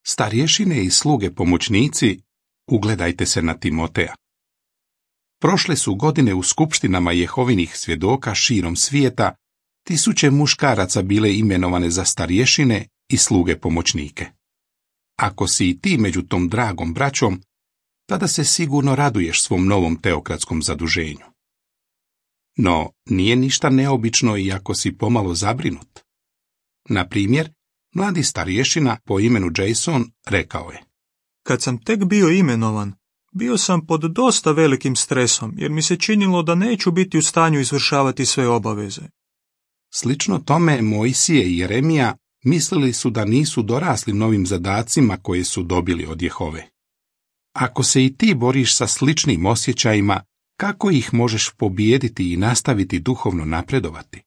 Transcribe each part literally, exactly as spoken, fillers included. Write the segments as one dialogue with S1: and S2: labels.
S1: Starješine i sluge pomoćnici, ugledajte se na Timoteja. Prošle su godine u skupštinama Jehovinih svjedoka širom svijeta, tisuće muškaraca bile imenovane za starješine i sluge pomoćnike. Ako si i ti među tom dragom braćom, tada se sigurno raduješ svom novom teokratskom zaduženju. No, nije ništa neobično i ako si pomalo zabrinut. Na primjer, mladi starješina po imenu Jason rekao je:
S2: Kad sam tek bio imenovan, bio sam pod dosta velikim stresom, jer mi se činilo da neću biti u stanju izvršavati sve obaveze.
S1: Slično tome Mojsije i Jeremija mislili su da nisu dorasli novim zadacima koje su dobili od Jehove. Ako se i ti boriš sa sličnim osjećajima, kako ih možeš pobijediti i nastaviti duhovno napredovati?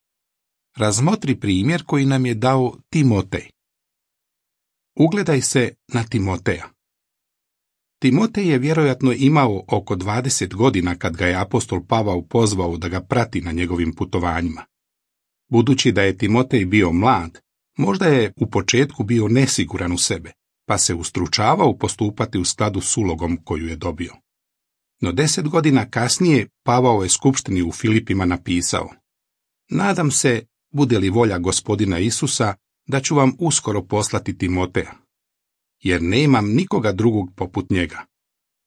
S1: Razmotri primjer koji nam je dao Timotej. Ugledaj se na Timoteja. Timotej je vjerojatno imao oko dvadeset godina kad ga je apostol Pavao pozvao da ga prati na njegovim putovanjima. Budući da je Timotej bio mlad, možda je u početku bio nesiguran u sebe, pa se ustručavao postupati u skladu s ulogom koju je dobio. No deset godina kasnije Pavao je skupštini u Filipima napisao: Nadam se, bude li volja Gospodina Isusa, da ću vam uskoro poslati Timoteja, jer nemam nikoga drugog poput njega.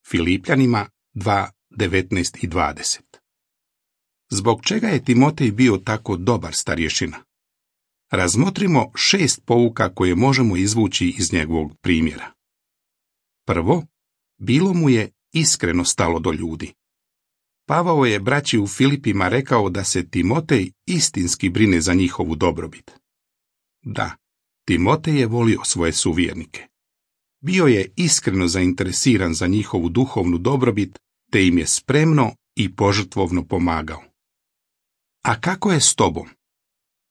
S1: Filipljanima dva, devetnaest i dvadeset. Zbog čega je Timotej bio tako dobar starješina? Razmotrimo šest pouka koje možemo izvući iz njegovog primjera. Prvo, bilo mu je iskreno stalo do ljudi. Pavao je braći u Filipima rekao da se Timotej istinski brine za njihovu dobrobit. Da, Timotej je volio svoje suvjernike. Bio je iskreno zainteresiran za njihovu duhovnu dobrobit, te im je spremno i požrtvovno pomagao. A kako je s tobom?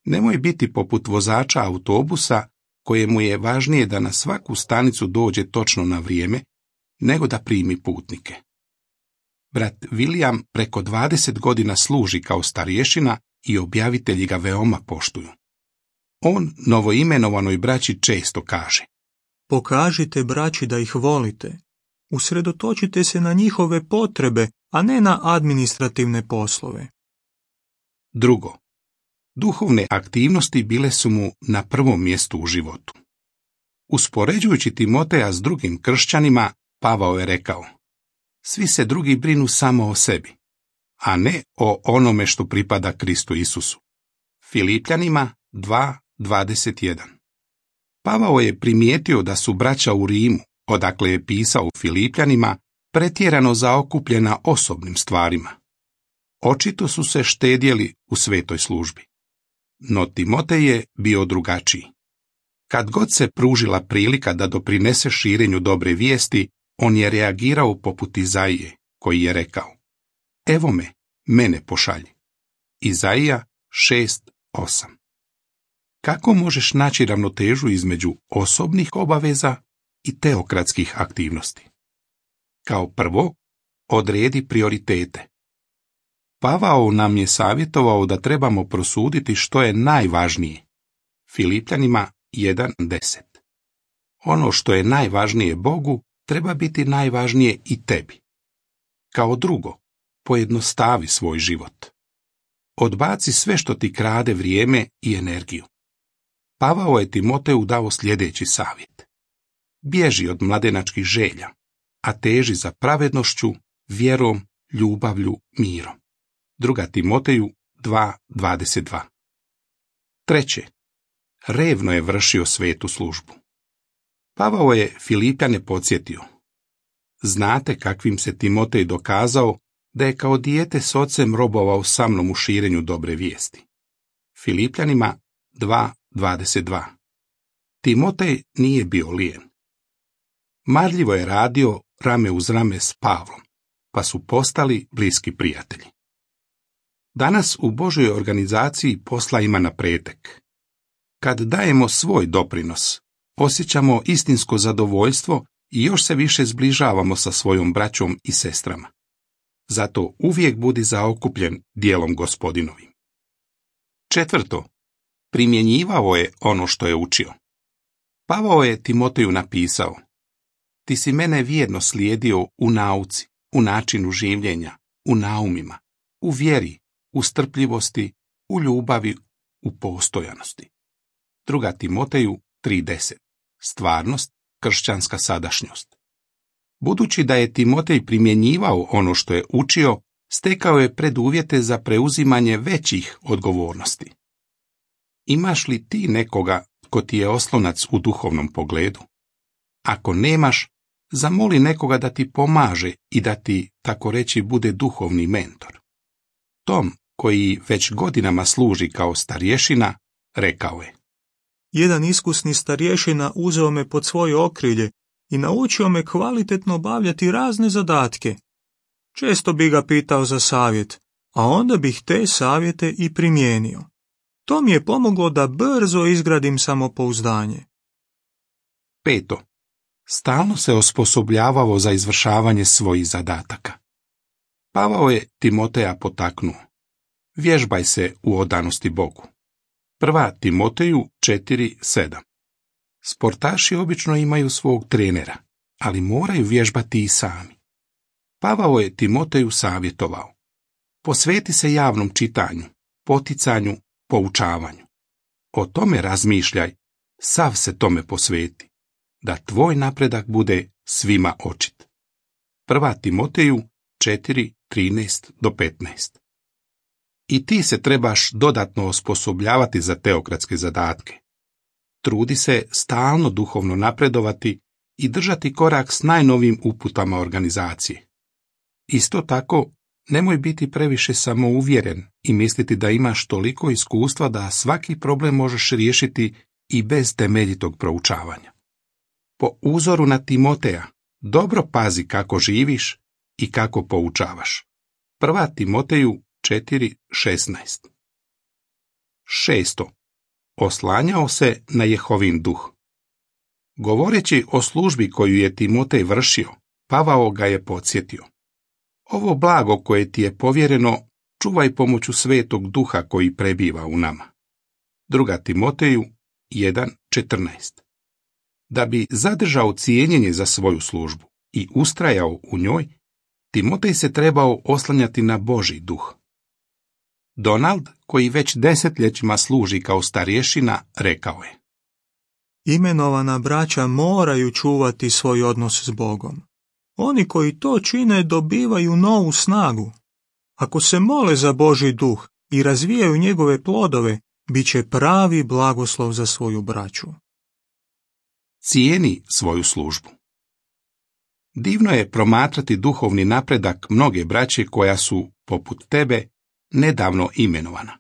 S1: Nemoj biti poput vozača autobusa kojemu je važnije da na svaku stanicu dođe točno na vrijeme, nego da primi putnike. Brat William preko dvadeset godina služi kao starješina i objavitelji ga veoma poštuju. On novoimenovanoj braći često kaže:
S2: Pokažite braći da ih volite. Usredotočite se na njihove potrebe, a ne na administrativne poslove.
S1: Drugo, duhovne aktivnosti bile su mu na prvom mjestu u životu. Uspoređujući Timoteja s drugim kršćanima, Pavao je rekao: Svi se drugi brinu samo o sebi, a ne o onome što pripada Kristu Isusu. Filipljanima dva, dvadeset jedan. Pavao je primijetio da su braća u Rimu, odakle je pisao Filipljanima, pretjerano zaokupljena osobnim stvarima. Očito su se štedjeli u svetoj službi. No Timotej je bio drugačiji. Kad god se pružila prilika da doprinese širenju dobre vijesti, on je reagirao poput Izaije, koji je rekao: Evo me, mene pošalji. Izaija šest, osam. Kako možeš naći ravnotežu između osobnih obaveza i teokratskih aktivnosti? Kao prvo, odredi prioritete. Pavao nam je savjetovao da trebamo prosuditi što je najvažnije. Filipljanima jedan, deset. Ono što je najvažnije Bogu treba biti najvažnije i tebi. Kao drugo, pojednostavi svoj život. Odbaci sve što ti krade vrijeme i energiju. Pavao je Timoteju dao sljedeći savjet: Bježi od mladenačkih želja, a teži za pravednošću, vjerom, ljubavlju, mirom. Druga Timoteju dva, dvadeset dva. Treće, revno je vršio svetu službu. Pavao je Filipjane podsjetio: Znate kakvim se Timotej dokazao da je kao dijete s ocem robovao sa mnom u širenju dobre vijesti. Filipjanima dva, dvadeset dva. Timotej nije bio lijen. Marljivo je radio rame uz rame s Pavlom, pa su postali bliski prijatelji. Danas u Božoj organizaciji posla ima na pretek. Kad dajemo svoj doprinos, osjećamo istinsko zadovoljstvo i još se više zbližavamo sa svojom braćom i sestrama. Zato uvijek budi zaokupljen djelom Gospodinovim. Četvrto, primjenjivao je ono što je učio. Pavao je Timoteju napisao: Ti si mene vjerno slijedio u nauci, u načinu življenja, u naumima, u vjeri, u strpljivosti, u ljubavi, u postojanosti. Druga Timoteju tri deset. Stvarnost, kršćanska sadašnjost. Budući da je Timotej primjenjivao ono što je učio, stekao je preduvjete za preuzimanje većih odgovornosti. Imaš li ti nekoga ko ti je oslonac u duhovnom pogledu? Ako nemaš, zamoli nekoga da ti pomaže i da ti, tako reći, bude duhovni mentor. Tom, koji već godinama služi kao starješina, rekao je:
S2: Jedan iskusni starješina uzeo me pod svoje okrilje i naučio me kvalitetno obavljati razne zadatke. Često bi ga pitao za savjet, a onda bih te savjete i primijenio. To mi je pomoglo da brzo izgradim samopouzdanje.
S1: Peto. Stalno se osposobljavao za izvršavanje svojih zadataka. Pavao je Timoteja potaknuo: Vježbaj se u odanosti Bogu. Prva Timoteju četiri sedam. Sportaši obično imaju svog trenera, ali moraju vježbati i sami. Pavao je Timoteju savjetovao: Posveti se javnom čitanju, poticanju, poučavanju. O tome razmišljaj, sav se tome posveti, da tvoj napredak bude svima očit. Prva Timoteju četiri trinaest do petnaest. I ti se trebaš dodatno osposobljavati za teokratske zadatke. Trudi se stalno duhovno napredovati i držati korak s najnovijim uputama organizacije. Isto tako, nemoj biti previše samouvjeren i misliti da imaš toliko iskustva da svaki problem možeš riješiti i bez temeljitog proučavanja. Po uzoru na Timoteja, dobro pazi kako živiš i kako poučavaš. Prva Timoteju četiri šesnaest. Šesto. Oslanjao se na Jehovin duh. Govoreći o službi koju je Timotej vršio, Pavao ga je podsjetio: Ovo blago koje ti je povjereno, čuvaj pomoću svetog duha koji prebiva u nama. Druga Timoteju jedan četrnaest. Da bi zadržao cijenjenje za svoju službu i ustrajao u njoj, Timotej se trebao oslanjati na Božji duh. Donald, koji već desetljećima služi kao starješina, rekao je:
S2: Imenovana braća moraju čuvati svoj odnos s Bogom. Oni koji to čine dobivaju novu snagu. Ako se mole za Božji duh i razvijaju njegove plodove, bit će pravi blagoslov za svoju braću.
S1: Cijeni svoju službu. Divno je promatrati duhovni napredak mnoge braće koja su, poput tebe, nedavno imenovana.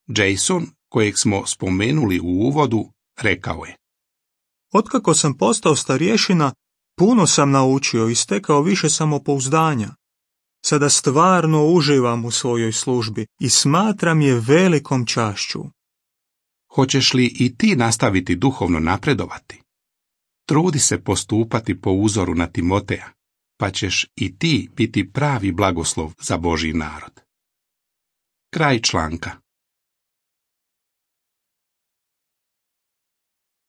S1: Jason, kojeg smo spomenuli u uvodu, rekao je:
S2: Otkako sam postao starješina, puno sam naučio i stekao više samopouzdanja. Sada stvarno uživam u svojoj službi i smatram je velikom čašću.
S1: Hoćeš li i ti nastaviti duhovno napredovati? Trudi se postupati po uzoru na Timoteja, pa ćeš i ti biti pravi blagoslov za Božji narod. Kraj članka.